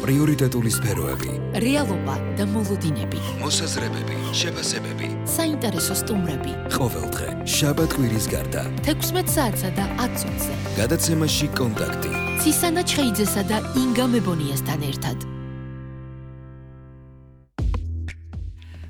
პრიორიტეტული სფეროები, რეალობა და მოლოდინები, მოსაზრებები, შეფასებები, საინტერესო სტუმრები. ყოველდღე, შაბათ-კვირის გარდა, 16 საათსა და 10 წუთზე. გადაცემაში კონტაქტი. ცისანა ჩხეიძესა და ინგა მებონიასთან ერთად.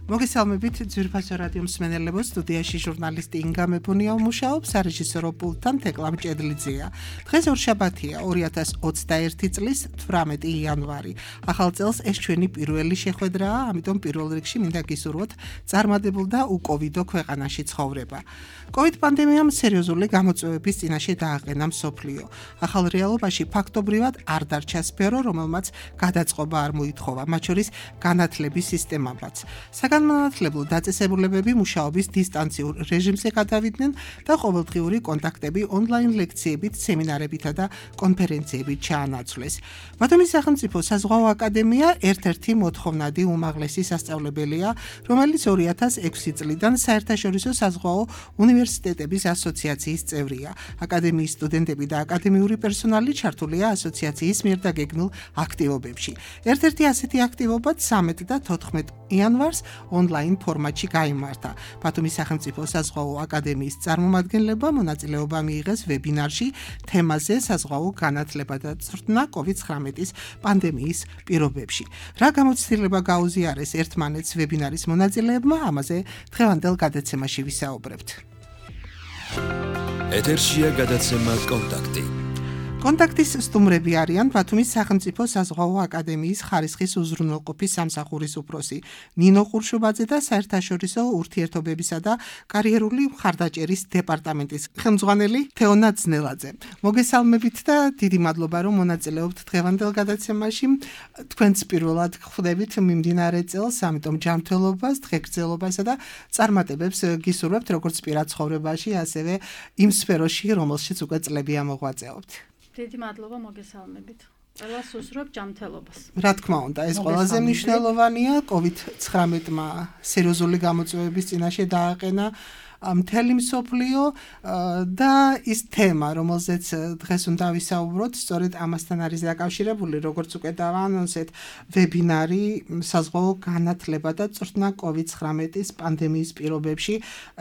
მოგესალმებით ძვირფასო რადიო მსმენელებო, სტუდიაში ჟურნალისტი ინგა მებონია მუშაობს, რეჟისორო პულტთან თეკლამ ჭედლიძეა. დღეს ორშაბათია 2021 წლის 18 იანვარი. ახალ წელს ეს ჩვენი პირველი შეხვედრაა, ამიტომ პირველ რიგში მინდა გისურვოთ წარმატებულ და უკოვიდო ქვეყანაში ცხოვრება. COVID პანდემიამ სერიოზული გამოწვევების წინაშე დააყენა მსოფლიო. ახალ რეალობაში ფაქტობრივად არ დარჩა სფერო, რომელმაც გადაწყობა არ მოითხოვა, მათ შორის განათლების სისტემებაც. განმანათლებელ დაწესებულებები მუშაობის დისტანციურ რეჟიმზე გადავიდნენ და ყოველდღიური კონტაქტები ონლაინ ლექციებით, სემინარებითა და კონფერენციებით ჩაანაცვლეს. ბათუმის სახელმწიფო საზღვაო აკადემია ერთ-ერთი მოთხოვნადი უმაღლესი სასწავლებელია, რომელიც 2006 წლიდან საერთაშორისო საზღვაო უნივერსიტეტების ასოციაციის წევრია. აკადემიის სტუდენტები და აკადემიური პერსონალი ჩართულია ასოციაციის მიერ დაგეგმილ აქტივობებში. ერთ-ერთი ასეთი აქტივობა 13 და 14 იანვარს ონლაინ ფორმატში გაიმართა. ბათუმის სახელმწიფო საზღვაო აკადემიის წარმომადგენლებმა მონაწილეობა მიიღეს ვებინარში თემაზე საზღვაო განათლება და წვრთნა COVID-19 პანდემიის პირობებში. რა გამოცდილება გაუზიარეს ერთმანეთს ვებინარის მონაწილეებმა, ამაზე დღევანდელ გადაცემაში ვისაუბრებთ. ეთერშია გადაცემა კონტაქტი. კონტაქტის სტუმრები არიან ბათუმის სახელმწიფო საზღვაო აკადემიის ხარისხის უზრუნველყოფის სამსახურის უფროსი ნინო ყურშუბაძე და საერთაშორისო ურთიერთობებისა და კარიერული მხარდაჭერის დეპარტამენტის ხელმძღვანელი თეონა ძნელაძე. მოგესალმებით და დიდი მადლობა რომ მონაწილეობთ დღევანდელ გადაცემაში. თქვენც პირველად ხვდებით მიმდინარე წელს, ამიტომ ჯანმრთელობას, დღეგრძელობასა და წარმატებებს გისურვებთ როგორც პირად ცხოვრებაში, ასევე იმ სფეროში, რომელშიც უკვე წლებია მოღვაწეობთ. დიდი მადლობა, მოგესალმებით. ყველას უსურვებ ჯანმრთელობას. რა თქმა უნდა, ეს ყველაზე მნიშვნელოვანია. COVID-19-მა სერიოზული გამოწვევების წინაშე დააყენა მთელი მსოფლიო და ის თემა, რომელზეც დღეს უნდა ვისაუბროთ, სწორედ ამასთან არის დაკავშირებული, როგორც უკვე დავაანონსეთ, ვებინარი საზღვაო განათლება და წვრთნა COVID-19 პანდემიის პირობებში.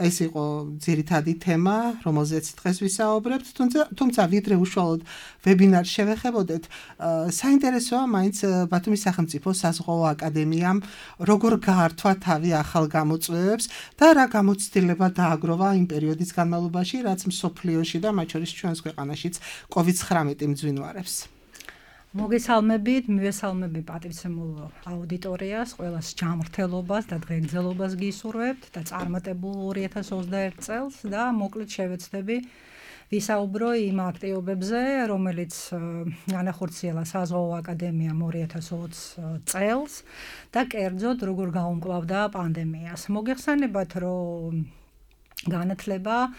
ეს იყო ძირითადი თემა, რომელზეც დღეს ვისაუბრებთ, თუმცა ვიდრე უშუალოდ ვებინარს შევეხებოდეთ, საინტერესოა მაინც ბათუმის სახელმწიფო საზღვაო აკადემიამ როგორ გაართვა თავი ახალ გამოწვევებს და რა გამოცდილება აგროვა იმ პერიოდის განმავლობაში, რაც მსოფლიოში და მათ შორის ჩვენს ქვეყანაშიც COVID-19 მძვინვარებს. მოგესალმებით, მივესალმები პატივცემულ აუდიტორიას, ყველას ჯანმრთელობას და დღეგრძელობას გისურვებთ და წარმატებულ 2021 წელს და მოკლედ შევეცდები ვისაუბრო იმ აქტივობებზე, რომელიც განახორციელა საზღვაო აკადემიამ 2020 წელს და კერძოდ როგორ გაუმკლავდა პანდემიას. მოგეხსენებათ, რომ განათლება,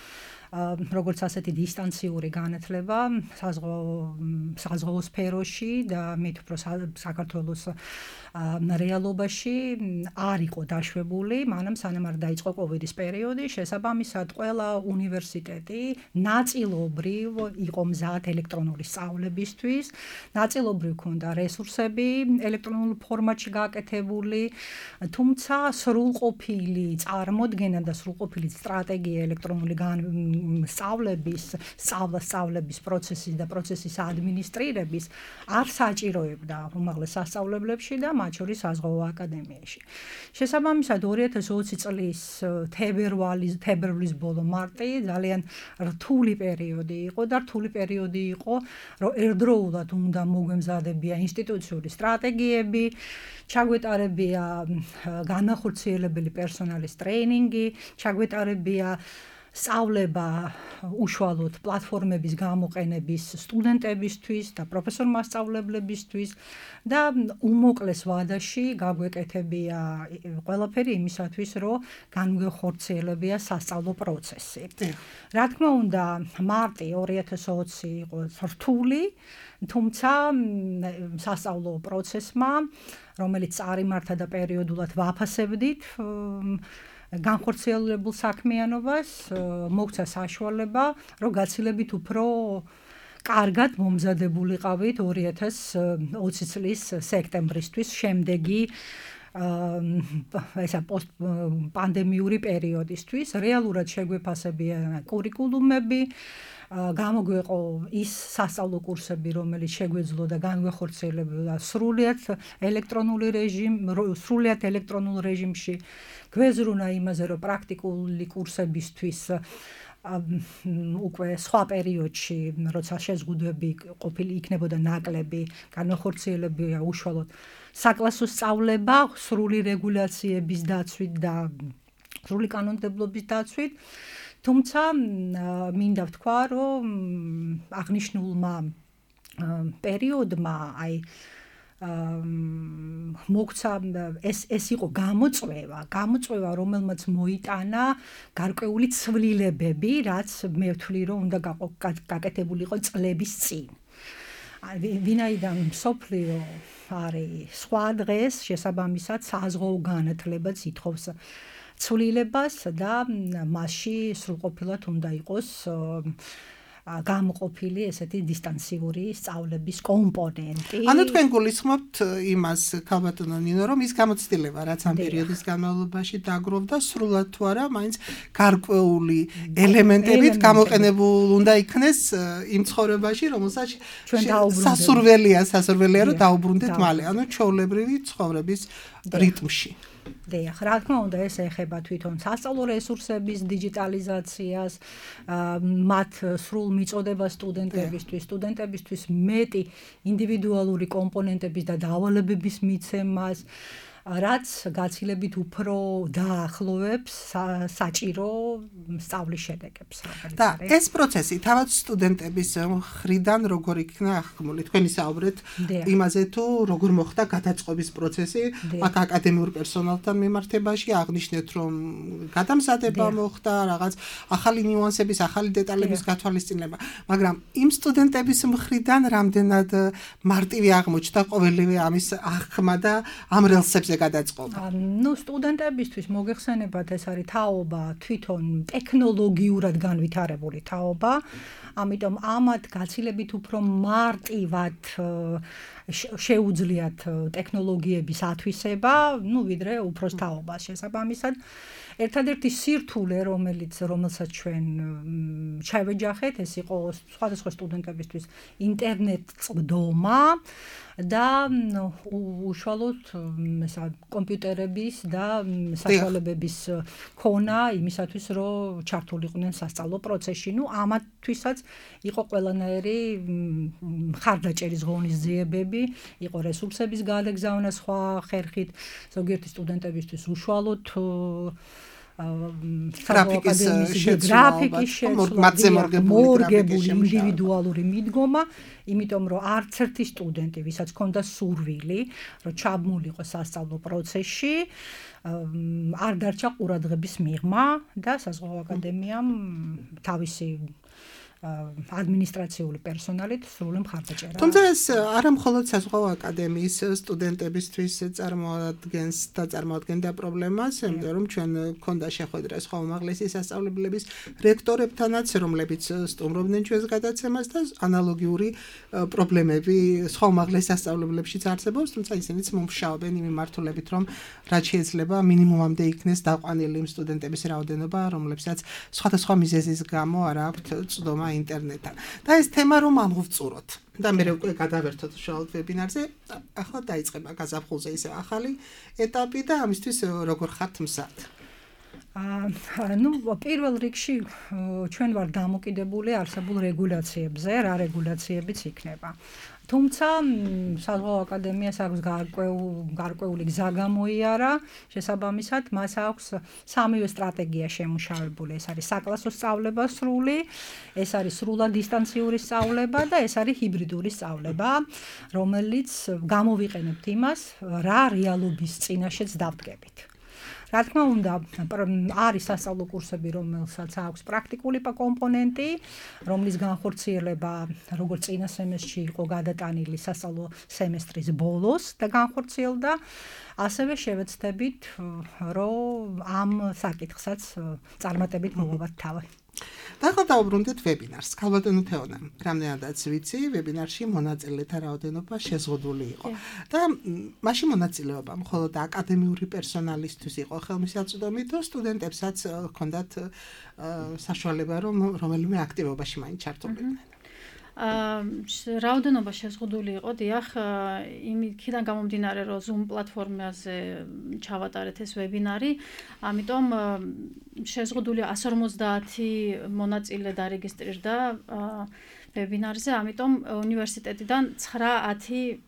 როგორც ასეთი დისტანციური განათლება საზღვაო სფეროში და მით უფრო საქართველოს რეალობაში არ იყო დაშვებული, მანამ სანამ არ დაიწყო COVID-ის პერიოდი, შესაბამისად ყველა უნივერსიტეტი ნაწილობრივ იყო მზად ელექტრონული სწავლებისთვის, ნაწილობრივ ჰქონდა რესურსები ელექტრონულ ფორმატში გაკეთებული, თუმცა სრულყოფილი წარმოდგენა და სრულყოფილი სტრატეგია ელექტრონული სწავლების პროცესის და პროცესის ადმინისტრირების არ საჭიროებდა უმაღლეს სასწავლებლებში და მათ შორის საზღვაო აკადემიაში. შესაბამისად 2020 წლის თებერვლის ბოლო მარტი ძალიან რთული პერიოდი იყო და რთული პერიოდი იყო, რომ ერთდროულად უნდა მოგვემზადებია ინსტიტუციური სტრატეგიები, ჩაგვეტარებია განახორციელებელი პერსონალის ტრეინინგი, ჩაგვეტარებია სწავლება უშუალოდ პლატფორმების გამოყენების სტუდენტებისთვის და პროფესორ-მასწავლებლებისთვის და უმოკლეს ვადაში გაგვეკეთებია ყველაფერი იმისათვის, რომ განვიხორციელებია სასწავლო პროცესი. რა თქმა უნდა, მარტი 2020 იყო რთული, თუმცა სასწავლო პროცესმა, რომელიც წარიმართა და პერიოდულად ვაფასებდით, განხორციელებულ საქმიანობას მოგვცა საშუალება, რომ გაცილებით უფრო კარგად მომზადებულიყავით 2020 წლის სექტემბრისთვის შემდეგი ესა პოსტპანდემიური პერიოდისთვის. რეალურად შეგვეფასებია კურიკულუმები, გამოგვეყო ის სასწავლო კურსები, რომელიც შეგვეძლო და განვეხორციელებდა სრულიად ელექტრონულ რეჟიმში. გვეზრუნა იმაზე, რომ პრაქტიკული კურსებისთვის უკვე სხვა პერიოდში, როცა შეზღუდვები ყოფილი იქნებოდა ნაკლები, განვეხორციელებია უშუალოდ საკლასო სწავლება, სრული რეგულაციების დაცვით და სრული კანონმდებლობის დაცვით. თუმცა მინდა ვთქვა, რომ აღნიშნულმა პერიოდმა მოგცა ეს იყო გამოწვევა, რომელმაც მოიტანა გარკვეული ცვლილებები, რაც მე ვთვლი, რომ უნდა გაკეთებულიყო წლების წინ. ვინაიდან მსოფლიო არის სხვა დღეს, შესაბამისად საზღვაო განათლებაც ითხოვს ცვლილებას და მასში სრულყოფილად უნდა იყოს გამოყოფილი ესეთი დისტანციური სწავლების კომპონენტი. ანუ თქვენ გულისხმობთ იმას, ქალბატონო ნინო, რომ ის გამოცდილება, რაც ამ პერიოდის განმავლობაში დაგროვდა, სრულად თუ არა, მაინც გარკვეული ელემენტებით გამოყენებულ უნდა იქნეს იმ ცხოვრებაში, რომელსაც სასურველია, რომ დაუბრუნდეთ მალე, ანუ ჩვეულებრივი ცხოვრების რიტმში. დიახ, რა თქმა უნდა, ეს ეხება თვითონ სასწავლო რესურსების დიჯიტალიზაციას, მათ სრულ მიწოდებას სტუდენტებისთვის მეტი ინდივიდუალური კომპონენტების და დავალებების მიცემას, რაც გაცილებით უფრო დაახლოვებს საჭირო სწავლის შედეგებს. და ეს პროცესი თავად სტუდენტების მხრიდან როგორ იქნა აღქმული? თქვენ ისაუბრეთ იმაზე, თუ როგორ მოხდა გადაწყობის პროცესი აქ აკადემიურ პერსონალთან მიმართებაში, აღნიშნეთ, რომ გადამზადება მოხდა, რაღაც ახალი ნიუანსების, ახალი დეტალების გათვალისწინება, მაგრამ იმ სტუდენტების მხრიდან რამდენად მარტივი აღმოჩნდა ყოველივე ამის აღქმა და ამ რელსებზე გადაწყობა. სტუდენტებისთვის მოგეხსენებათ, ეს არის თაობა თვითონ ტექნოლოგიურად განვითარებული თაობა, ამიტომ ამათ გაცილებით უფრო მარტივად შეუძლიათ ტექნოლოგიების ათვისება, ვიდრე უფროს თაობას. შესაბამისად, ერთადერთი სირთულე, რომელსაც ჩვენ ჩავეჯახეთ, ეს იყო სხვადასხვა სტუდენტებისთვის ინტერნეტ წვდომა და უშუალოდ კომპიუტერების და საშუალებების ქონა იმისათვის, რომ ჩართულიყვნენ სასწავლო პროცესში. ამათთვისაც იყო ყველანაირი მხარდაჭერის ღონისძიებები, იყო რესურსების გადაგზავნა სხვა ხერხით, ზოგიერთი სტუდენტებისთვის უშუალოდ გრაფიკის შეცვლა, მორგებული ინდივიდუალური მიდგომა, იმიტომ რომ არც ერთი სტუდენტი, ვისაც ჰქონდა სურვილი, რომ ჩაბმულიყო სასწავლო პროცესში, არ დარჩა ყურადღების მიღმა და საზღვაო აკადემიამ თავისი ადმინისტრაციული პერსონალით სრული მხარდაჭერა. თუმცა ეს არა მხოლოდ საზღვაო აკადემიის სტუდენტებისთვის წარმოადგენდა პრობლემას, იმიტომ რომ ჩვენ გქონდა შეხვედრა სხვა უმაღლესი სასწავლებლების რექტორებთანაც, რომლებიც სტუმრობდნენ ჩვენს გადაცემას და ანალოგიური პრობლემები სხვა უმაღლეს სასწავლებლებშიც არსებობს, თუმცა ისინიც მომუშავებენ იმ მიმართულებით, რომ რაც შეიძლება მინიმუმამდე იქნეს დაყვანილი იმ სტუდენტების რაოდენობა, რომლებსაც სხვადასხვა მიზეზის გამო არ აქვთ წვდომა ინტერნეტთან. და ეს თემა რომ ამოვწუროთ. და მე უკვე გადავერთოთ უშუალოდ ვებინარზე, ახლა დაიწყება გაზაფხულზე ისე ახალი ეტაპი და ამისთვის როგორ ხართ მზად? პირველ რიგში ჩვენ ვართ დამოკიდებული არსებულ რეგულაციებზე, რა რეგულაციებიც იქნება. თუმცა საზღვაო აკადემიას აქვს გარკვეული გზა გამოიარა, შესაბამისად მას აქვს სამივე სტრატეგია შემუშავებული. ეს არის საკლასო სწავლება სრული, ეს არის სრულად დისტანციური სწავლება და ეს არის ჰიბრიდული სწავლება, რომელიც გამოვიყენებთ იმას, რა რეალობის წინაშეც დავდგებით. რა თქმა უნდა, არის სასწავლო კურსები, რომელსაც აქვს პრაქტიკული კომპონენტი, რომლის განხორციელება როგორც წინა სემესტრში იყო გადატანილი სასწავლო სემესტრის ბოლოს და განხორციელდა, ასევე შევეცდებით, რომ ამ საკითხსაც წარმატებით მოვაბათ თავი. და ახლა დავუბრუნდეთ ვებინარს. ქალბატონო თეონა, რამდენადაც ვიცი, ვებინარში მონაწილეთა რაოდენობა შეზღუდული იყო. და მაშინ მონაწილეობა მხოლოდ აკადემიური პერსონალისთვის იყო ხელმისაწვდომი, თუ სტუდენტებსაც ჰქონდათ საშუალება, რომ რომელიმე აქტივობაში მაინც ჩართულიყვნენ. რაოდენობა შეზღუდული იყო, დიახ, იმიდან გამომდინარე, რომ Zoom პლატფორმაზე ჩავატარეთ ეს ვებინარი, ამიტომ შეზღუდული 150 მონაწილე დარეგისტრირდა ვებინარზე, ამიტომ უნივერსიტეტიდან 9-10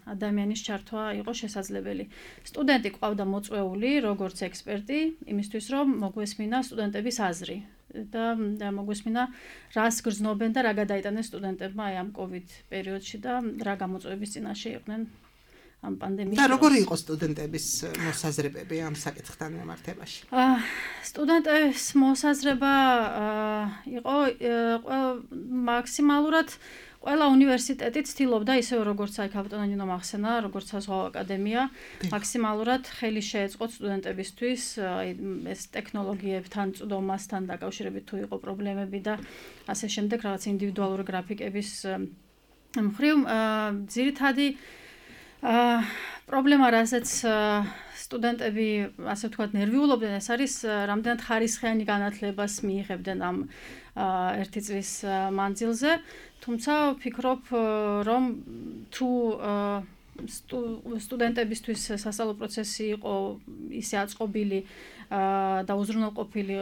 ადამიანის ჩართვა იყო შესაძლებელი. სტუდენტი ყავდა მოწვეული, როგორც ექსპერტი, იმისთვის რომ მოგვესმინა სტუდენტების აზრი. და მოგვესმინა რას გრძნობენ და რა გადაიტანეს სტუდენტებმა ამ COVID პერიოდში და რა გამოწვევების წინაშე იყვნენ ამ პანდემიის. და როგორი იყო სტუდენტების მოსაზრებები ამ საკითხთან მიმართებაში? სტუდენტების მოსაზრება იყო მაქსიმალურად ყველა უნივერსიტეტი ცდილობდა ისევ როგორც აი ქალბატონო მახსენა, როგორც საზღვაო აკადემია, მაქსიმალურად ხელი შეეწყოთ სტუდენტებისთვის აი ეს ტექნოლოგიებთან, წვდომასთან დაკავშირებით თუ იყო პრობლემები და ასე შემდეგ რაღაც ინდივიდუალური გრაფიკების მხრივ ძირითადი პრობლემა, რასაც სტუდენტები, ასე ვთქვათ, ნერვიულობდნენ, ეს არის რამდენად ხარისხიანი განათლებას მიიღებდნენ ამ ერთი წლის მანძილზე. თუმცა ვფიქრობ, რომ თუ სტუდენტებისთვის სასწავლო პროცესი იყო ისე აწყობილი და უზრუნველყოფილი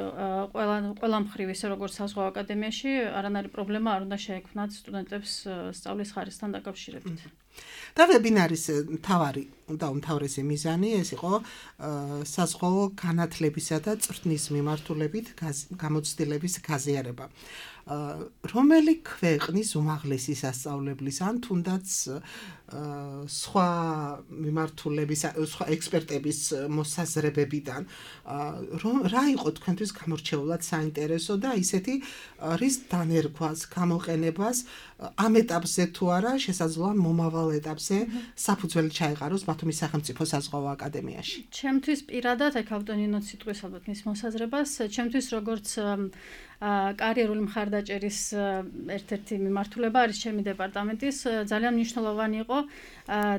ყველა მხრივ, ისე როგორც საზღვაო აკადემიაში, არანაირი პრობლემა არ უნდა შეექმნათ სტუდენტებს სწავლის ხარისხთან დაკავშირებით. და ვებინარის მთავარი და უმთავრესი მიზანი ეს იყო საზღვაო განათლებისა და წვრთნის მიმართულებით გამოცდილების გაზიარება. რომელი ქვეყნის უმაღლესი სასწავლებლის ან თუნდაც სხვა მიმართულების, სხვა ექსპერტების მოსაზრებებიდან რა იყო თქვენთვის გამორჩეულად საინტერესო და ისეთი რის დანერგვას, გამოყენებას ამ ეტაპზე თუ არა შესაძლოა მომავალ ეტაპზე საფუძველი ჩაეყაროს ბათუმის სახელმწიფო საზღვაო აკადემიაში. ჩემთვის პირადად აი ქალბატონინო სიტყვის ალბათ მის მოსაზრებას, ჩემთვის როგორც კარიერული მხარდაჭერის ერთ-ერთი მიმართულება არის ჩემი დეპარტამენტის ძალიან მნიშვნელოვანი იყო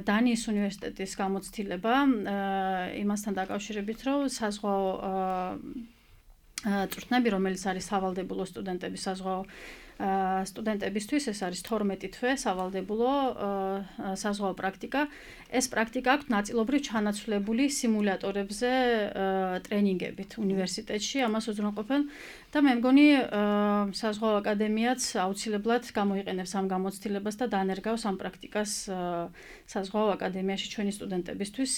დანიის უნივერსიტეტის გამოცდილება იმასთან დაკავშირებით, რომ საზღვაო წვრთნები, რომელიც არის სავალდებულო სტუდენტების საზღვაო სტუდენტებისთვის, ეს არის 12 თვე სავალდებულო საზღვაო პრაქტიკა. ეს პრაქტიკა აქვს ნაწილობრივ ჩანაცვლებული სიმულატორებზე ტრენინგებით უნივერსიტეტში, ამას უზრუნველყოფენ და მე მგონი საზღვაო აკადემიაც აუცილებლად გამოიყენებს ამ გამოცდილებას და დანერგავს ამ პრაქტიკას საზღვაო აკადემიაში ჩვენი სტუდენტებისთვის.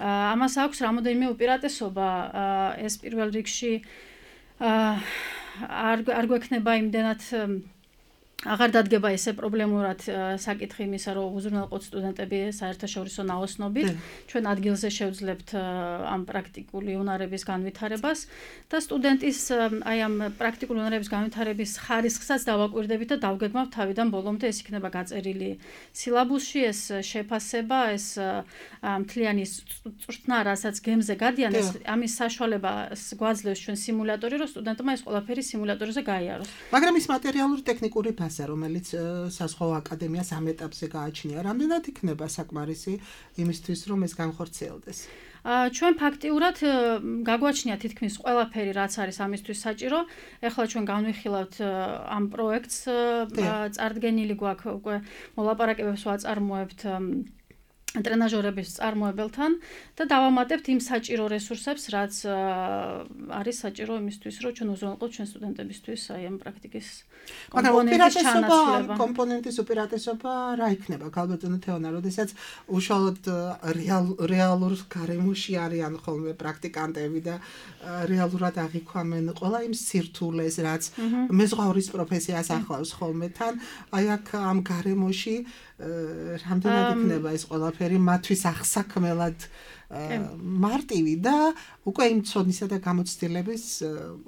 ამას აქვს რამოდენიმე უპირატესობა, ეს პირველ რიგში არ გვექნება იმდენად აღარ დადგება ესე პრობლემურად საკითხი იმისა, რომ უზრუნველყოთ სტუდენტები საერთაშორისო ნაოსნობით, ჩვენ ადგილზე შევძლებთ ამ პრაქტიკული უნარების განვითარებას და სტუდენტის აი ამ პრაქტიკული უნარების განვითარების ხარისხსაც დავაკვირდებით და დავგეგმავთ თავიდან ბოლომდე, ეს იქნება გაწერილი სილაბუსში, ეს შეფასება, ეს მთლიანი წვრთნა, რასაც გემზე გადიან, ეს ამის საშუალებას გვაძლევს ჩვენ სიმულატორი, რომ სტუდენტმა ეს ყველაფერი სიმულატორზე გაიაროს. მაგრამ ის მატერიალური ტექნიკური რომელიც საზღვაო აკადემიას ამ ეტაპზე გააჩნია, რამდენად იქნება საკმარისი იმისთვის, რომ ეს განხორციელდეს? ჩვენ ფაქტიურად გაგვაჩნია თითქმის ყველაფერი, რაც არის ამისთვის საჭირო. ეხლა ჩვენ განვიხილავთ ამ პროექტს, წარდგენილი გვაქვს უკვე მოლაპარაკებებს ვაწარმოებთ ტრენაჟორების წარმოებელთან და დავამატებთ იმ საჭირო რესურსებს, რაც არის საჭირო იმისთვის, რომ ჩვენ უზრუნველყოთ ჩვენ სტუდენტებისთვის აი ამ პრაქტიკის კომპონენტის უპირატესობა რა იქნება, ქალბატონო თეონა, როდესაც უშუალოდ რეალურ გარემოში არიან ხოლმე პრაქტიკანტები და რეალურად აღიქვამენ ყველა იმ სირთულეს, რაც მეზღვაურის პროფესიას ახლავს ხოლმე თან, აი აქ ამ გარემოში რამდენად იქნება ეს ყველაფერი მათთვის აღსაქმელად მარტივი და უკვე იმ ცოდნისა და გამოცდილების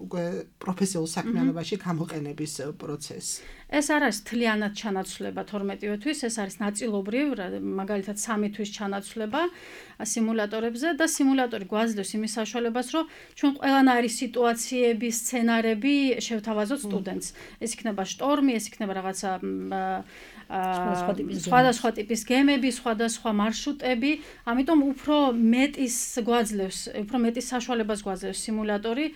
უკვე პროფესიულ საქმიანობაში გამოყენების პროცესი. ეს არ არის თლიანად ჩანაცვლება 12 თვის, ეს არის ნაწილობრივ, მაგალითად 3 თვის ჩანაცვლება სიმულატორებზე და სიმულატორი გვაძლევს იმის საშუალებას, რომ ჩვენ ყველანაირი სიტუაციები, სცენარები შევთავაზოთ სტუდენტს. ეს იქნება შტორმი, ეს იქნება რაღაცა სხვადასხვა ტიპის გემები, სხვადასხვა მარშრუტები, ამიტომ უფრო მეტის გვაძლევს, უფრო მეტის საშუალებას გვაძლევს სიმულატორი,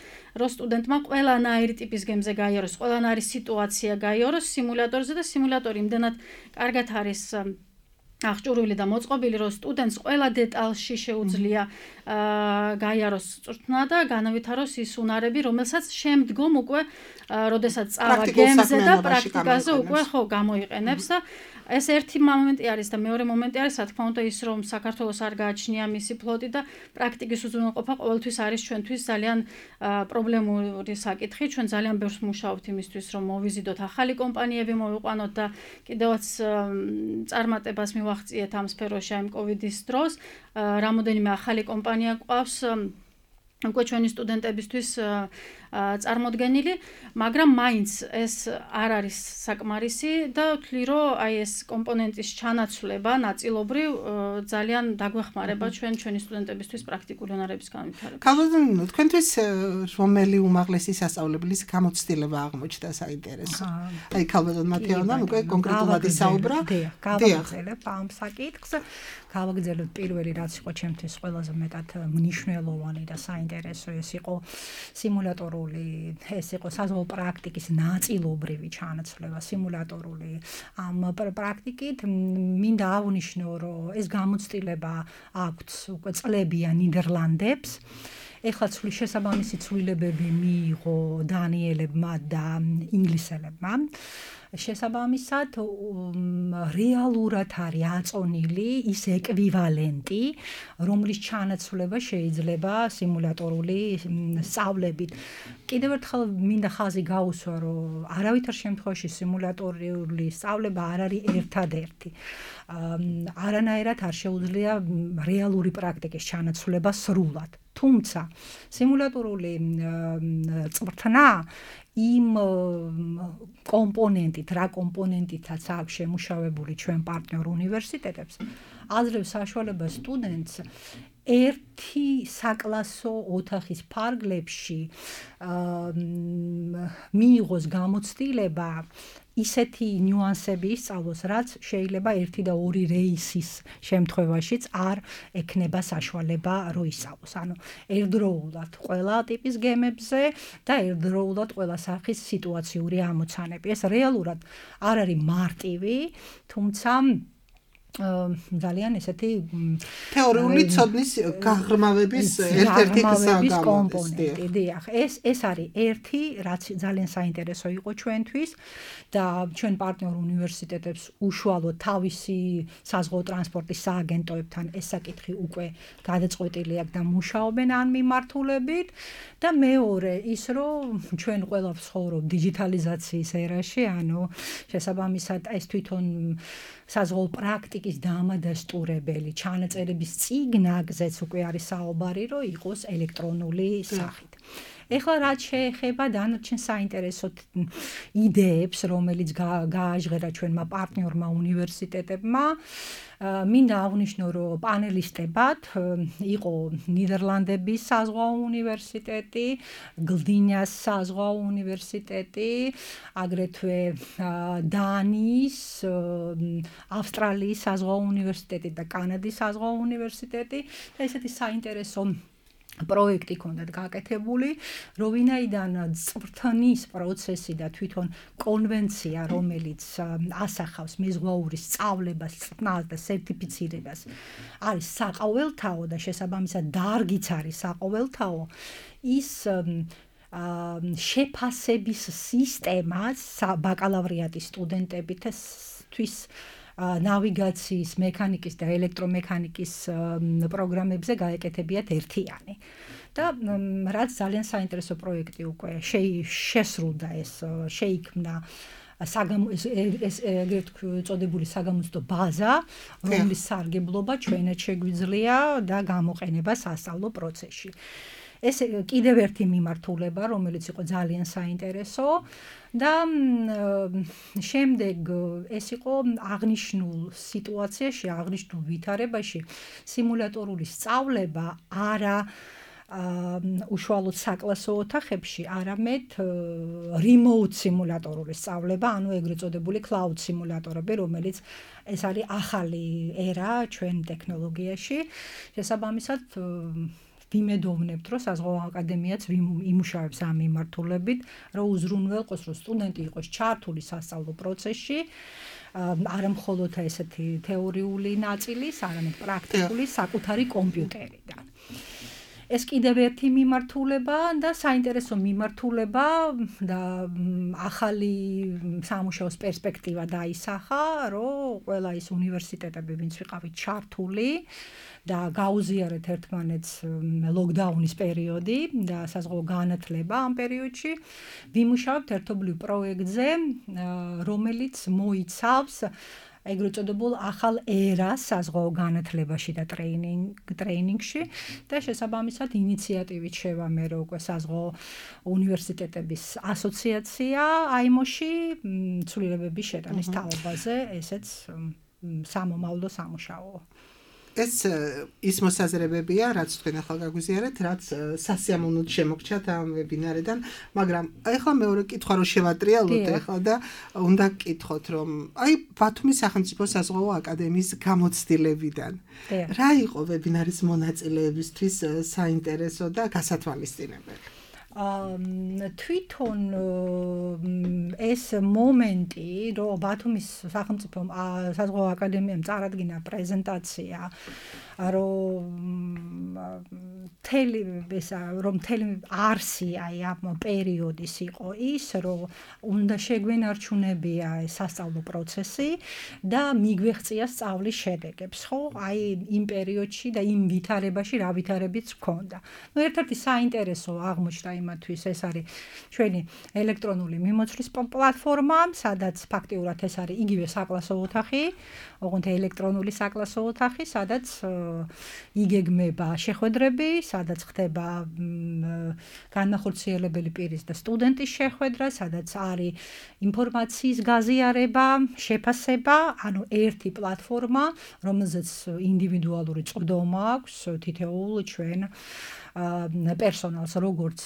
რომ სტუდენტმა ყველანაირი ტიპის გემზე გაიაროს, ყველანაირი სიტუაცია გაიაროს სიმულატორზე და სიმულატორი იმდენად კარგად არის აღჭურვილი და მოწყობილი, რომ სტუდენტს ყველა დეტალში შეუძლია გაიაროს წვრთნა და განავითაროს ის უნარები, რომელსაც შემდგომ უკვე როდესაც წავა გემზე და პრაქტიკაზე უკვე ხო გამოიყენებს და ეს ერთი მომენტი არის და მეორე მომენტი არის, რა თქმა უნდა, ის რომ საქართველოს არ გააჩნია მისი ფლოტი და პრაქტიკის უზრუნველყოფა ყოველთვის არის ჩვენთვის ძალიან პრობლემური საკითხი. ჩვენ ძალიან ბევრს მუშაობთ იმისთვის, რომ მოვიზიდოთ ახალი კომპანიები, მოვიყვანოთ და კიდევაც წარმატებას მივაღწიეთ ამ სფეროში ამ კოვიდის დროს. რამოდენიმე ახალი კომპანია გვყავს უკვე ჩვენი სტუდენტებისთვის წარმოდგენილი, მაგრამ მაინც ეს არ არის საკმარისი და ვთვლი, რომ აი ეს კომპონენტის ჩანაცვლება ნაწილობრივ ძალიან დაგვეხმარება ჩვენი სტუდენტებისთვის პრაქტიკული უნარების განვითარებაში. ქალბატონო, თქვენთვის რომელი უმაღლესი სასწავლებლის გამოცდილება აღმოჩნდა საინტერესო? აი ქალბატონ მათეონამ უკვე კონკრეტულად ისაუბრა. გავაგრძელებ ამ საკითხს. გავაგრძელებ პირველი, რაც იყო ჩემთვის ყველაზე მეტად მნიშვნელოვანი და საინტერესო, ეს იყო სიმულატორული, ეს იყო საზღვაო პრაქტიკის ნაწილობრივი ჩანაცვლება, სიმულატორული. ამ პრაქტიკით მინდა აღნიშნო, რომ ეს გამოცდილება აქვთ უკვე წლებია ნიდერლანდებს. ეხლა შესაბამისი ცვლილებები მიიღო დანიელებმა და ინგლისელებმა. შესაბამისად რეალურად არის აწონილი ის ეკვივალენტი, რომლის ჩანაცვლება შეიძლება სიმულატორული სწავლებით. კიდევ ერთხელ მინდა ხაზი გაუსვა, რომ არავითარ შემთხვევაში სიმულატორული სწავლება არ არის ერთადერთი. არანაირად არ შეუძლია რეალური პრაქტიკის ჩანაცვლება სრულად. თუმცა სიმულატორული წვრთნა იმ კომპონენტით, რა კომპონენტითაც აქვს შემუშავებული ჩვენ პარტნიორ უნივერსიტეტებს, აძლევს საშუალებას სტუდენტს ერთი საკლასო ოთახის ფარგლებში მიიღოს გამოცდილება ისეთი ნიუანსები ისწავლოს, რაც შეიძლება 1 და 2 რეისის შემთხვევაშიც არ ექნება საშუალება რომ ისწავლოს. ანუ ერთდროულად ყველა ტიპის გემებზე და ერთდროულად ყველა სახის სიტუაციური ამოცანები. ეს რეალურად არ არის მარტივი, თუმცა ძალიან ესეთი თეორიული ცოდნის გაღრმავების ერთ-ერთი კომპონენტი. დიახ, ეს არის ერთი, რაც ძალიან საინტერესო იყო ჩვენთვის და ჩვენ პარტნიორ უნივერსიტეტებს უშუალოდ თავისი საზღვაო ტრანსპორტის სააგენტოებთან ეს საკითხი უკვე გადაწყვეტილი აქვს და მუშაობენ ამ მიმართულებით და მეორე ის რომ ჩვენ ყველა ვცხოვრობ დიჯიტალიზაციის ერაში, ანუ შესაბამისად ეს თვითონ საზღვაო პრაქტიკის დამადასტურებელი ჩანაწერების წიგნაგზეც უკვე არის საუბარი, რომ იყოს ელექტრონული სახით. ეხლა რაც შეეხება დანარჩენ საინტერესო იდეებს, რომელიც გააჟღერა ჩვენმა პარტნიორმა უნივერსიტეტებმა, მინდა აღნიშნო, რომ პანელისტებად იყო ნიდერლანდების საზღვაო უნივერსიტეტი, გლდინიას საზღვაო უნივერსიტეტი, აგრეთვე დანიის, ავსტრალიის საზღვაო უნივერსიტეტი და კანადის საზღვაო უნივერსიტეტი და ესეთი საინტერესო პროექტი ქონდათ გაკეთებული, რომ ვინაიდან წვრთნის პროცესი და თვითონ კონვენცია, რომელიც ასახავს მეზღვაურის სწავლებას, წვრთნას და სერტიფიცირებას, არის საყოველთაო და შესაბამისად დარგიც არის საყოველთაო, ის შეფასების სისტემა ბაკალავრიატის სტუდენტებისთვის ნავიგაციის, მექანიკის და ელექტრომექანიკის პროგრამებზე გაეკეთებიათ ერთიანი. და რაც ძალიან საინტერესო პროექტი უკვე შესრულდა ეს შეიქმნა ეს ეგრეთ წოდებული საგამოცდო ბაზა, რომლის სარგებლობა ჩვენაც შეგვიძლია და გამოყენება სასწავლო პროცესში. ეს კიდევ ერთი მიმართულება, რომელიც იყო ძალიან საინტერესო და შემდეგ ეს იყო აღნიშნულ სიტუაციაში, აღნიშნულ ვითარებაში სიმულატორული სწავლება არა უშუალოდ საკლასო ოთახებში, არამედ remote სიმულატორული სწავლება, ანუ ეგრეთ წოდებული cloud სიმულატორები, რომელიც ეს არის ახალი ერა ჩვენ ტექნოლოგიაში. შესაბამისად ვიმედოვნებთ, რომ საზღვაო აკადემიაც იმუშავებს ამ მიმართულებით, რომ უზრუნველყოს, რომ სტუდენტი იყოს ჩართული სასწავლო პროცესში, არა მხოლოდ ესეთი თეორიული ნაწილის, არამედ პრაქტიკული საკუთარი კომპიუტერიდან. ეს კიდევ ერთი მიმართულება და საინტერესო მიმართულება და ახალი სამუშაოს პერსპექტივა დაისახა, რომ ყველა ის უნივერსიტეტები, ვინც ვიყავით ჩართული და გაუზიარეთ ერთმანეთს ლოკდაუნის პერიოდი და საზღვაო განათლება ამ პერიოდში, ვიმუშავებთ ერთობლივ პროექტზე, რომელიც მოიცავს ეგრეთ წოდებულ ახალ ერას საზღვაო განათლებაში და ტრეინინგში და შესაბამისად ინიციატივით შევამერო უკვე საზღვაო უნივერსიტეტების ასოციაცია აიმოში ცვლილებების შეტანის თაობაზე, ესეც სამომავლო სამუშაოა. ეს ის მოსაზრებებია, რაც თქვენ ახლა გაგვიზიარეთ, რაც სასიამოვნოდ შემოგჩათ ამ ვებინარიდან, მაგრამ ახლა მეორე კითხვა რომ შევატრიალოთ ახლა და უნდა გკითხოთ, რომ აი ბათუმის სახელმწიფო საზღვაო აკადემიის გამოცდილებიდან რა იყო ვებინარის მონაწილეებისთვის საინტერესო და გასათვალისწინებელი? თვითონ ეს მომენტი, რომ ბათუმის სახელმწიფო საზღვაო აკადემიამ წარადგინა პრეზენტაცია, რომ მთელი არსი აი ამ პერიოდის იყო ის, რომ უნდა შეგვენარჩუნებია სასწავლო პროცესი და მიგვეღწია სწავლის შედეგებს, ხო? აი იმ პერიოდში და იმ ვითარებაში რა ვითარებიც ჰქონდა. ნუ ერთ-ერთი საინტერესო აღმოჩნდა იმათვის ეს არის ჩვენი ელექტრონული მიმოწვრის პლატფორმა, სადაც ფაქტიურად ეს არის იგივე საკლასო ოთახი, ოღონდ ელექტრონული საკლასო ოთახი, სადაც იგეგმება შეხვედრები, სადაც ხდება განახორციელებელი პირის და სტუდენტის შეხვედრა, სადაც არის ინფორმაციის გაზიარება, შეფასება, ანუ ერთი პლატფორმა, რომელზეც ინდივიდუალური წვდომა აქვს თითოეულ ჩვენ პერსონალს, როგორც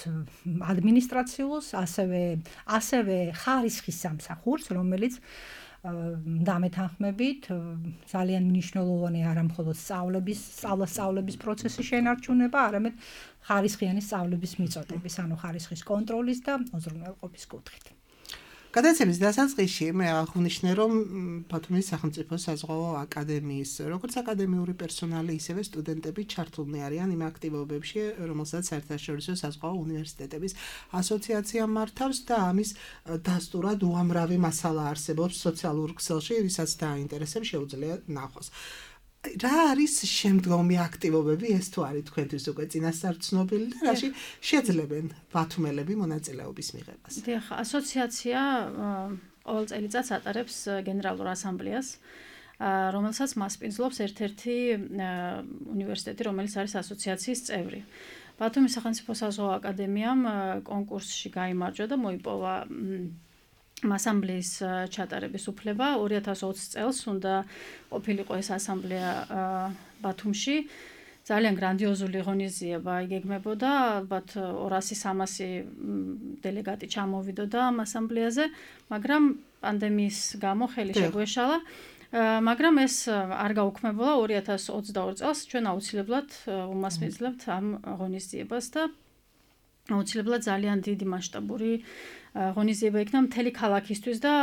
ადმინისტრაციულს, ასევე ხარისხის სამსახურს, რომელიც დამეთანხმებით ძალიან მნიშვნელოვანი არა მხოლოდ სწავლების პროცესის შენარჩუნება, არამედ ხარისხიანი სწავლების მიწოდების, ანუ ხარისხის კონტროლის და უზრუნველყოფის კუთხით. გადაცემის დასაწყისში მე აღვნიშნე, რომ ბათუმის სახელმწიფო საზღვაო აკადემიის როგორც აკადემიური პერსონალი, ისევე სტუდენტები ჩართულნი არიან იმ აქტივობებში, რომელსაც საერთაშორისო საზღვაო უნივერსიტეტების ასოციაცია მართავს და ამის დასტურად უამრავი მასალა არსებობს სოციალურ ქსელში, ვისაც დააინტერესებს შეუძლია ნახოს. რა არის შემდგომი აქტივობები, ეს თუ არის თქვენთვის უკვე წინასწარ ცნობილი და რაში შეძლებენ ბათუმელები მონაწილეობის მიღებას? დიახ, ასოციაცია ყოველ წელიწადს ატარებს გენერალურ ასამბლეას, რომელსაც მასპინძლობს ერთ-ერთი უნივერსიტეტი, რომელიც არის ასოციაციის წევრი. ბათუმის სახელმწიფო საზღვაო აკადემიამ კონკურსში გაიმარჯვა და მოიპოვა ასამბლეის ჩატარების უფლება. 2020 წელს უნდა ყოფილიყო ეს ასამბლეა ბათუმში. ძალიან გრანდიოზული ღონისძიება იგეგმებოდა, ალბათ 200-300 დელეგატი ჩამოვიდოდა ამ ასამბლეაზე, მაგრამ პანდემიის გამო ხელი შეგვეშალა. მაგრამ ეს არ გაუქმებულა 2022 წელს ჩვენ აუცილებლად უმასპინძლებთ ამ ღონისძიებას და აუცილებლად ძალიან დიდი მასშტაბური ღონისძიება იქნა მთელი ქალაქისთვის და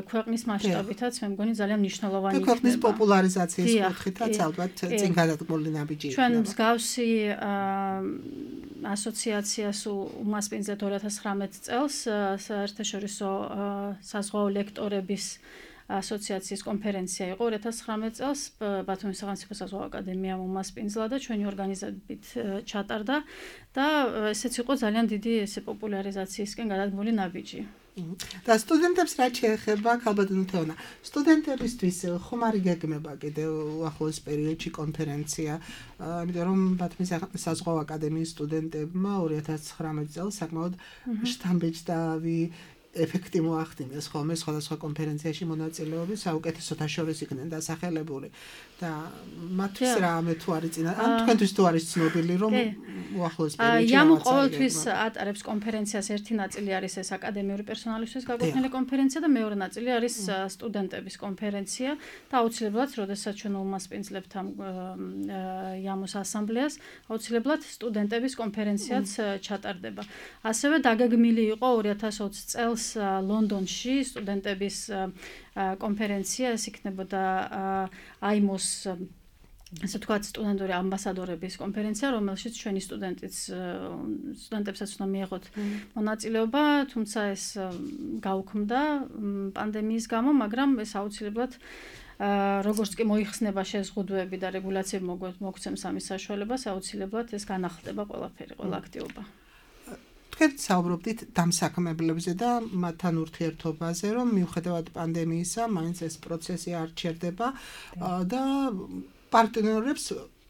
ქვეყნის მასშტაბითაც მე მგონი ძალიან მნიშვნელოვანი იქნება. ქვეყნის პოპულარიზაციის კუთხითაც ალბათ წინ გადადგმული ნაბიჯი იქნება. ჩვენ მსგავსი ასოციაციას უმასპინძლეთ 2019 წელს საერთაშორისო საზღვაო ლექტორების ასოციაციის კონფერენცია იყო 2019 წელს ბათუმის სახელმწიფო საზღვაო აკადემიამ უმასპინძლა და ჩვენი ორგანიზებით ჩატარდა და ესეც იყო ძალიან დიდი პოპულარიზაციისკენ გადადგმული ნაბიჯი. და სტუდენტებს რა შეეხება, ქალბატონო თეონა, სტუდენტებისთვის ხომ არ იგეგმება კიდევ უახლოეს პერიოდში კონფერენცია, იმიტომ რომ ბათუმის საზღვაო აკადემიის სტუდენტებმა 2019 წელს საკმაოდ შთამბეჭდავი ეფექტი მოახდინეს ხოლმე სხვადასხვა კონფერენციაში მონაწილეობის, საუკეთესოთა შორის იქნენ დასახელებული და მათთვის რამე თუ არის წინა, ან თქვენთვის თუ არის ცნობილი, რომ უახლოეს პერიოდში იამუ ყოველთვის ატარებს კონფერენციას, ერთი ნაწილი არის ეს აკადემიური პერსონალისთვის გაკუთვნილი კონფერენცია და მეორე ნაწილი არის სტუდენტების კონფერენცია და აუცილებლად, როდესაც ჩვენ უმასპინძლებთ ამ იამუს ასამბლეას, აუცილებლად სტუდენტების კონფერენციაც ჩატარდება. ასევე დაგეგმილი იყო 2020 წელს ლონდონში სტუდენტების კონფერენცია, ეს იქნებოდა აიმოს ასე ვთქვათ სტუდენტური ამბასადორების კონფერენცია, რომელშიც ჩვენი სტუდენტებსაც უნდა მიეღოთ მონაწილეობა, თუმცა ეს გაუქმდა პანდემიის გამო, მაგრამ ეს აუცილებლად როგორც კი მოიხსნება შეზღუდვები და რეგულაციები მოგცემს ამის საშუალებას, აუცილებლად ეს განახლდება ყველაფერი, ყველა აქტივობა. თქვენ საუბრობდით დამსაქმებლებზე და მათთან ურთიერთობაზე, რომ მიუხედავად პანდემიისა, მაინც ეს პროცესი არ ჩერდება და პარტნიორებს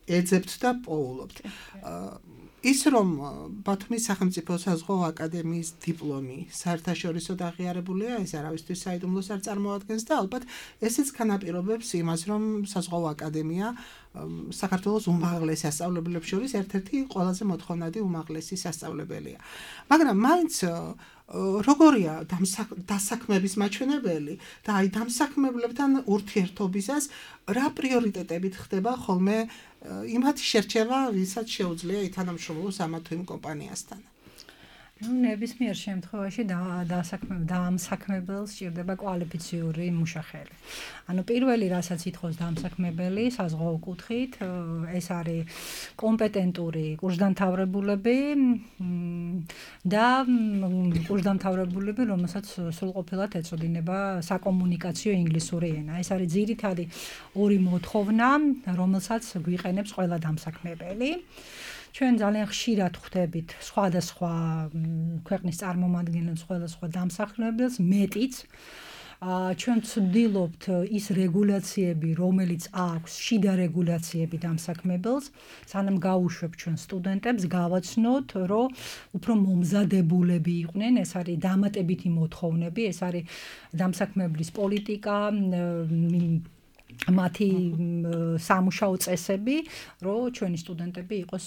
ეძებთ და პოულობთ. ის რომ ბათუმის სახელმწიფო საზღვაო აკადემიის დიპლომი საერთაშორისოდ აღიარებულია, ეს არავისთვის საიდუმლოს არ წარმოადგენს და ალბათ ესეც განაპირობებს იმას, რომ საზღვაო აკადემია საქართველოს უმაღლეს სასწავლებლებს შორის ერთ-ერთი ყველაზე მოთხოვნადი უმაღლესი სასწავლებელია. მაგრამ მაინც როგორია დასაქმების მაჩვენებელი და აი დამსაქმებლებთან ურთიერთობისას რა პრიორიტეტებით ხდება ხოლმე იმათ შერჩევა, ვისაც შეუძლია ითანამშრომლოს ამა თუ იმ კომპანიასთან. ნებისმიერ შემთხვევაში დამსაქმებელს სჭირდება კვალიფიციური მუშახელი. ანუ პირველი რასაც ითხოვს დამსაქმებელი საზღვაო კუთხით, ეს არის კომპეტენტური კურსდამთავრებულები და კურსდამთავრებულები, რომელსაც სრულყოფილად ეწოდინება საკომუნიკაციო ინგლისური ენა. ეს არის ძირითადი ორი მოთხოვნა, რომელსაც გვიყენებს ყველა დამსაქმებელი. ჩვენ ძალიან ხშირად ხვდებით სხვადასხვა ქვეყნის წარმომადგენლებს, სხვადასხვა დამსახურებელს, მეტიც ჩვენ ვცდილობთ ის რეგულაციები, რომელიც აქვს, შიდა რეგულაციები დამსაქმებელს, სანამ გავუშვებთ ჩვენ სტუდენტებს, გავაცნოთ, რომ უფრო მომზადებულები იყვნენ, ეს არის დამატებითი მოთხოვნები, ეს არის დამსაქმებლის პოლიტიკა, მათი სამუშაო წესები, რომ ჩვენი სტუდენტები იყოს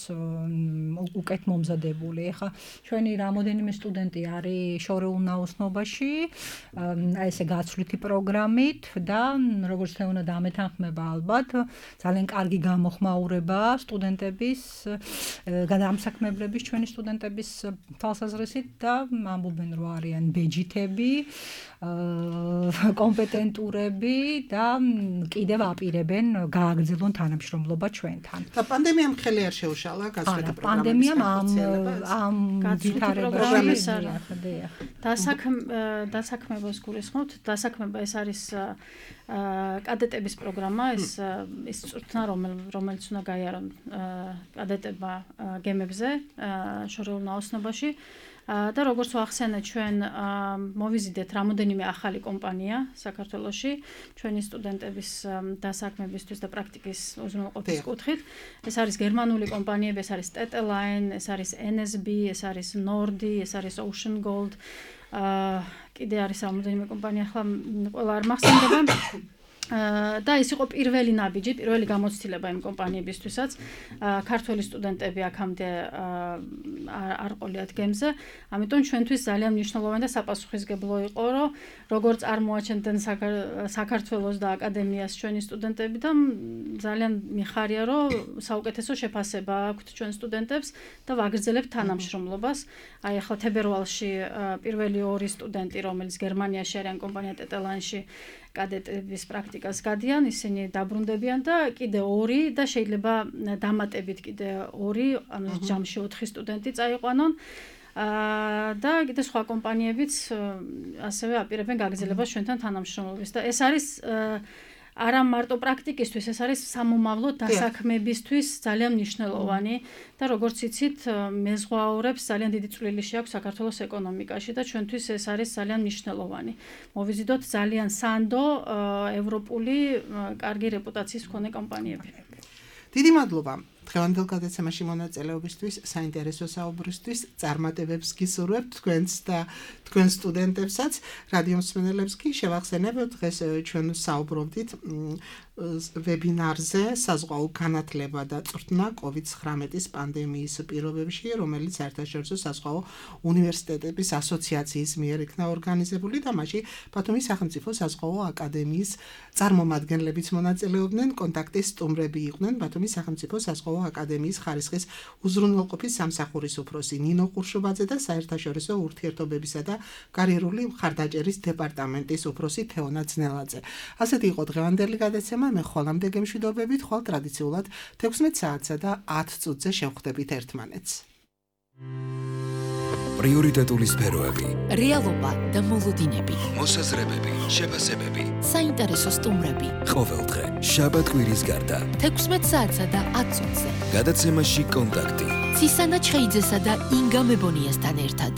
უკეთ მომზადებული. ეხლა ჩვენი რამოდენიმე სტუდენტი არის შორეულ ნაოსნობაში, აი ესე გაცვლითი პროგრამით და როგორც თეონა დამეთანხმება ალბათ, ძალიან კარგი გამოხმაურება სტუდენტების, დამსაქმებლების ჩვენი სტუდენტების თვალსაზრისით და ამბობენ, რომ არიან ბეჯითები, კომპეტენტურები და კიდევ აპირებენ გააგრძელონ თანამშრომლობა ჩვენთან. და პანდემიამ ხელი არ შეუშალა გაცვლითი პროგრამის პანდემიამ ამ პროგრამის დასაქმებას გულისხმობთ. დასაქმება ეს არის კადეტების პროგრამა, ის წვრთნა, რომელიც უნდა გაიარონ კადეტებმა გემებზე შორეულ ნაოსნობაში. და როგორც ვახსენე, ჩვენ მოვიზიდეთ რამოდენიმე ახალი კომპანია საქართველოში ჩვენი სტუდენტების დასაქმებისთვის და პრაქტიკის უზრუნველყოფის კუთხით. ეს არის გერმანული კომპანიები, ეს არის TT-Line, ეს არის NSB, ეს არის Nordi, ეს არის Ocean Gold. კიდე არის რამოდენიმე კომპანია, ახლა ყველა არ მახსენდება. და ის იყო პირველი ნაბიჯი, პირველი გამოცდილება იმ კომპანიებისთვისაც. ქართველი სტუდენტები აქამდე არ ყოლიათ გემზე, ამიტომ ჩვენთვის ძალიან მნიშვნელოვანი და საპასუხისმგებლო იყო, რომ როგორც წარმოაჩენდნენ საქართველოს და აკადემიას ჩვენი სტუდენტები და ძალიან მიხარია, რომ საუკეთესო შეფასება აქვთ ჩვენ სტუდენტებს და ვაგრძელებთ თანამშრომლობას. აი ახლა თებერვალში პირველი ორი სტუდენტი, რომელიც გერმანიაში არიან კომპანია TT-Line-ში კადეტების პრაქტიკას გადიან, ისინი დაბრუნდებიან და კიდე ორი და შეიძლება დამატებით კიდე ორი, ანუ ჯამში 4 სტუდენტი წაიყვანონ. და კიდე სხვა კომპანიებიც ასევე აპირებენ გაგრძელებას ჩვენთან თანამშრომლობის და ეს არის არა მარტო პრაქტიკისთვის, ეს არის სამომავლო დასაქმებისთვის ძალიან მნიშვნელოვანი და როგორც იცით, მეზღვაურებს ძალიან დიდი წვლილი შეაქვს საქართველოს ეკონომიკაში და ჩვენთვის ეს არის ძალიან მნიშვნელოვანი. მოვიზიდოთ ძალიან სანდო ევროპული კარგი რეპუტაციის მქონე კომპანიები. დიდი მადლობა. დღევანდელ გადაცემაში მონაწილეობისთვის, საინტერესო საუბრისთვის, წარმატებებს გისურვებთ თქვენს და თქვენ სტუდენტებსაც, რადიო მსმენელებს კი შევახსენებთ, დღეს ჩვენ საუბრობდით ვებინარზე საზღვაო განათლება და წვრთნა COVID-19 პანდემიის პირობებში, რომელიც საერთაშორისო საზღვაო უნივერსიტეტების ასოციაციის მიერ იქნა ორგანიზებული და მასში ბათუმის სახელმწიფო საზღვაო აკადემიის წარმომადგენლებიც მონაწილეობდნენ, კონტაქტის სტუმრები იყვნენ ბათუმის სახელმწიფო საზღვაო აკადემიის ხარისხის უზრუნველყოფის სამსახურის უფროსი ნინო ყურშუბაძე და საერთაშორისო ურთიერთობებისა და კარიერული მხარდაჭერის დეპარტამენტის უფროსი თეონა ძნელაძე. ასეთი იყო დღევანდელი გადაცემა. მე ხოლამდე გემშვიდობებით, ხვალ ტრადიციულად 16 საათსა და 10 წუთზე შევხვდებით ერთმანეთს. პრიორიტეტული სფეროები, რეალობა და მოლოდინები, მოსაზრებები, შეფასებები, საინტერესო სტუმრები. ყოველდღე, შაბათ-კვირის გარდა. 16 საათსა და 10 წუთზე. გადაცემაში კონტაქტი. ცისანა ჩხეიძესა და ინგა მებონიასთან ერთად.